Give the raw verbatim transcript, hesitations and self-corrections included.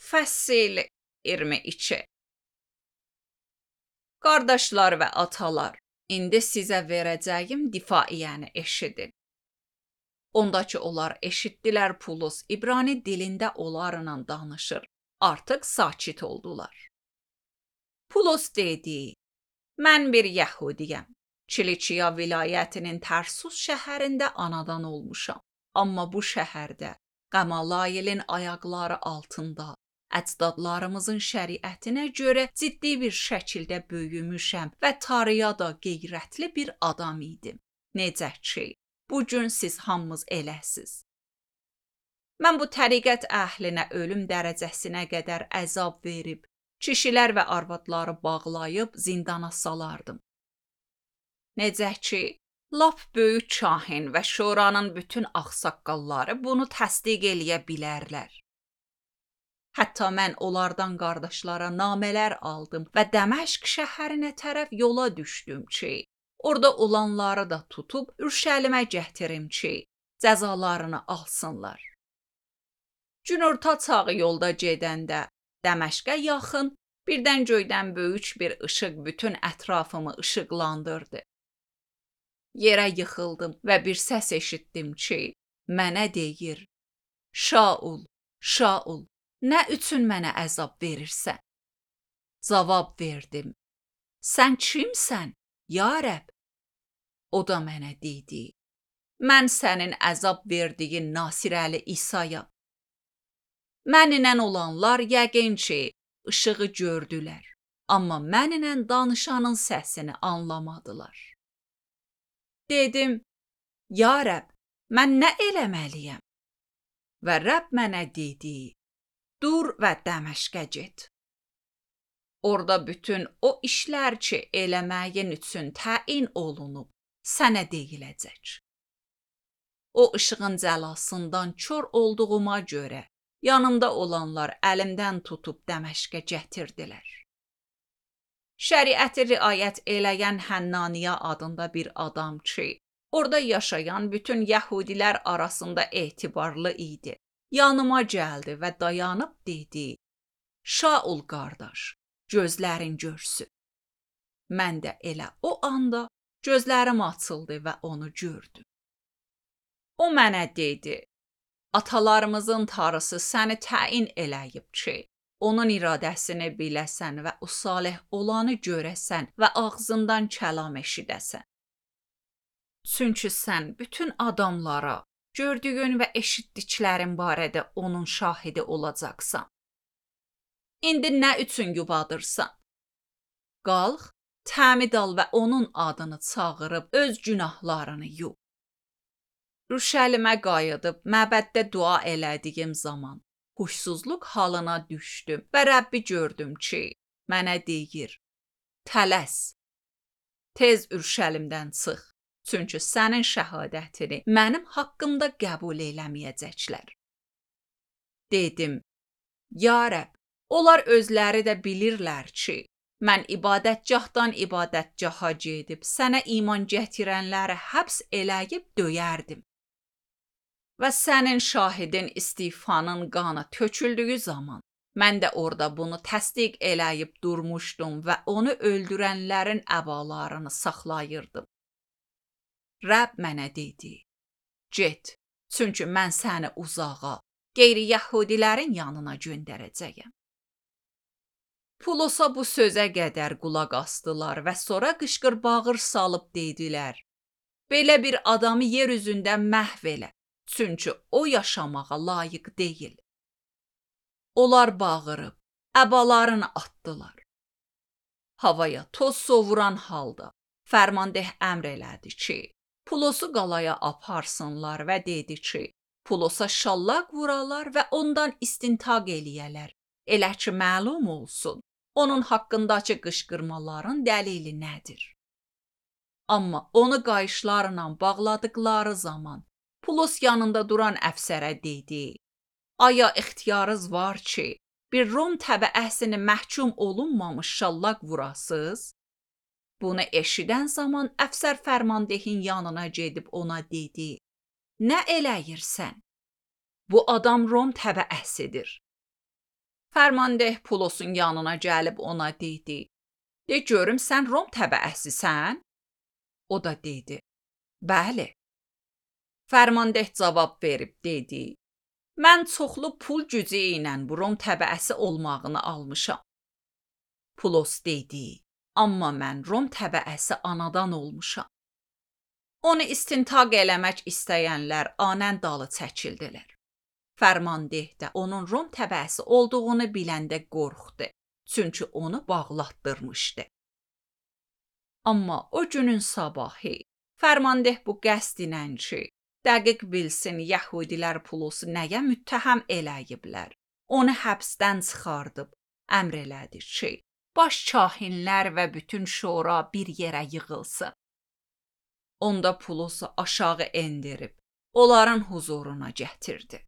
Fəsil iyirmi iki. Qardaşlar və atalar, indi sizə verəcəyim difaiyəni eşidin. Ondakı onlar eşitdilər Pulos İbrani dilində onlarla danışır. Artıq sakit oldular. Pulos dedi, mən bir Yəhudiyəm. Kilikiya vilayətinin Tərsus şəhərində anadan olmuşam. Amma bu şəhərdə Qamalayilin ayaqları altında əcdadlarımızın şəriətinə görə ciddi bir şəkildə böyümüşəm və tarıya da qeyrətli bir adam idim. Necə ki, bugün siz hamınız eləsiz. Mən bu təriqət əhlinə ölüm dərəcəsinə qədər əzab verib, kişilər və arvadları bağlayıb zindana salardım. Necə ki, lap böyük kahin və şoranın bütün ağsaqqalları bunu təsdiq eləyə bilərlər. Hətta mən onlardan qardaşlara namələr aldım və Dəməşq şəhərinə tərəf yola düşdüm ki, orada olanları da tutub Ürşəlimə gətirim ki, cəzalarını alsınlar. Günorta çağı yolda gedəndə Dəməşqə yaxın birdən göydən böyük bir işıq bütün ətrafımı işıqlandırdı. Yerə yıxıldım və bir səs eşitdim ki, mənə deyir, Şaul, Şaul, nə üçün mənə əzab verirsən? Cavab verdim, sən kimsən, ya Rəbb? O da mənə dedi, mən sənin əzab verdiyin Nasirəli İsayam. Mənimlə olanlar yəqin ki, işığı gördülər, amma mənimlə danışanın səsini anlamadılar. Dedim, ya Rəbb, mən nə eləməliyəm? Və Rəbb mənə dedi, dur və Dəməşqə get. Orada bütün o işlər ki, eləməyin üçün təyin olunub, sənə deyiləcək. O işığın cəlasından kör olduğuma görə, yanımda olanlar əlimdən tutub Dəməşqə gətirdilər. Şəriəti riayət eləyən Hənnaniya adında bir adam ki, orada yaşayan bütün Yəhudilər arasında etibarlı idi. Yanıma gəldi və dayanıb dedi, Şaul qardaş, gözlərin görsün. Mən də elə o anda gözlərim açıldı və onu gördüm. O mənə dedi, atalarımızın tarısı səni təyin eləyib ki, onun iradəsini biləsən və o salih olanı görəsən və ağzından kəlam eşidəsən. Çünki sən bütün adamlara gördüyün və eşitdiklərin barədə onun şahidi olacaqsan. İndi nə üçün yubadırsan? Qalx, təmid al və onun adını çağırıb öz günahlarını yub. Ürşəlimə qayıdıb məbəddə dua elədiyim zaman huşsuzluq halına düşdüm və Rəbbi gördüm ki, mənə deyir, tələs, tez Ürşəlimdən çıx, çünki sənin şəhadətini mənim haqqımda qəbul eləməyəcəklər. Dedim, ya Rəbb, onlar özləri də bilirlər ki, mən ibadətgahdan ibadətgaha gedib sənə iman gətirənləri həbs eləyib döyərdim. Və sənin şahidin istifanın qanı töküldüyü zaman, mən də orada bunu təsdiq eləyib durmuşdum və onu öldürənlərin əbalarını saxlayırdım. Rəbb mənə dedi, get, çünki mən səni uzağa, qeyri-Yəhudilərin yanına göndərəcəyəm. Pulosa bu sözə qədər qulaq asdılar və sonra qışqır-bağır salıb dedilər, belə bir adamı yer üzündə məhv elə. Çünki o yaşamağa layiq deyil. Onlar bağırıb, əbalarını atdılar. Havaya toz sovuran halda fərmandeh əmr elədi ki, Pulosu qalaya aparsınlar və dedi ki, Pulosa şallaq vuralar və ondan istintaq eləyələr. Elə ki, məlum olsun, onun haqqındakı qışqırmaların dəlili nədir? Amma onu qayışlarla bağladıqları zaman, Pulos yanında duran əfsərə dedi, aya ixtiyarınız var ki, bir Rom təbəəsini məhkum olunmamış şallaq vurasız? Bunu eşidən zaman əfsər fərmandehin yanına gedib ona dedi, nə eləyirsən? Bu adam Rom təbəəsidir. Fərmandeh Pulosun yanına gəlib ona dedi: "De görüm sən Rom təbəəsisən?" O da dedi: "Bəli." Fərmandeh cavab verib dedi: "Mən çoxlu pul gücü ilə bu Rom təbəəsi olmağını almışam." Pulos dedi: "Amma mən Rom təbəəsi anadan olmuşam." Onu istintaq eləmək istəyənlər anən dalı çəkildilər. Fərmandeh də onun Rom təbəəsi olduğunu biləndə qorxdu, çünki onu bağlatdırmışdı. Amma o günün sabahı Fərmandeh bu qəsd ilə ki, dəqiq bilsin Yəhudilər Pulosu nəyə müttəhəm eləyiblər, onu həbsdən çıxardıb əmr elədi ki, baş kahinlər və bütün şura bir yerə yığılsın. Onda Pulosu aşağı endirib onların huzuruna gətirdi.